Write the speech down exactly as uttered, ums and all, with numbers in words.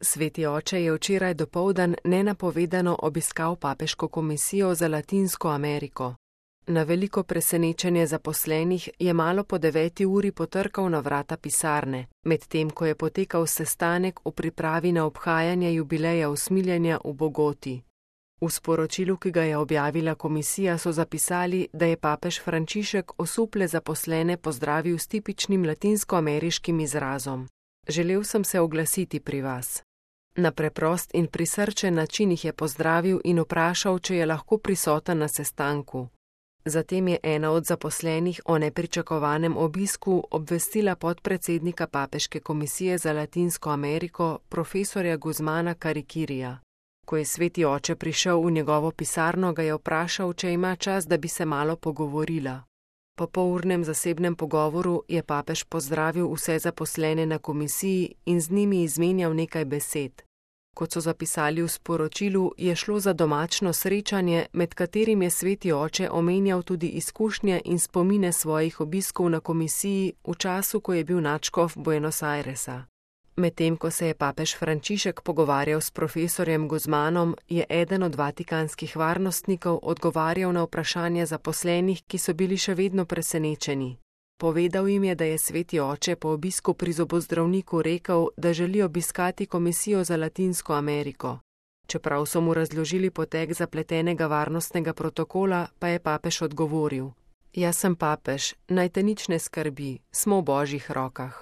Sveti oče je včeraj dopoldan nenapovedano obiskal papeško komisijo za Latinsko Ameriko. Na veliko presenečenje zaposlenih je malo po deveti uri potrkal na vrata pisarne, medtem ko je potekal sestanek v pripravi na obhajanje jubileja usmiljenja v Bogoti. V sporočilu, ki ga je objavila komisija, so zapisali, da je papež Frančišek osuple zaposlene pozdravil s tipičnim latinskoameriškim izrazom: "Želel sem se oglasiti pri vas." Na preprost in prisrčen način jih je pozdravil in vprašal, če je lahko prisoten na sestanku. Zatem je ena od zaposlenih o nepričakovanem obisku obvestila podpredsednika papeške komisije za Latinsko Ameriko, profesorja Guzmana Karikirija. Ko je sveti oče prišel v njegovo pisarno, ga je vprašal, če ima čas, da bi se malo pogovorila. Po polurnem zasebnem pogovoru je papež pozdravil vse zaposlene na komisiji in z njimi izmenjal nekaj besed. Kot so zapisali v sporočilu, je šlo za domačno srečanje, med katerim je sveti oče omenjal tudi izkušnje in spomine svojih obiskov na komisiji v času, ko je bil nadškof Buenos Airesa. Medtem ko se je papež Frančišek pogovarjal s profesorjem Guzmanom, je eden od vatikanskih varnostnikov odgovarjal na vprašanja zaposlenih, ki so bili še vedno presenečeni. Povedal jim je, da je sveti oče po obisku pri zobozdravniku rekel, da želi obiskati komisijo za Latinsko Ameriko. Čeprav so mu razložili potek zapletenega varnostnega protokola, pa je papež odgovoril: "Jaz sem papež, naj te nič ne skrbi, smo v božjih rokah."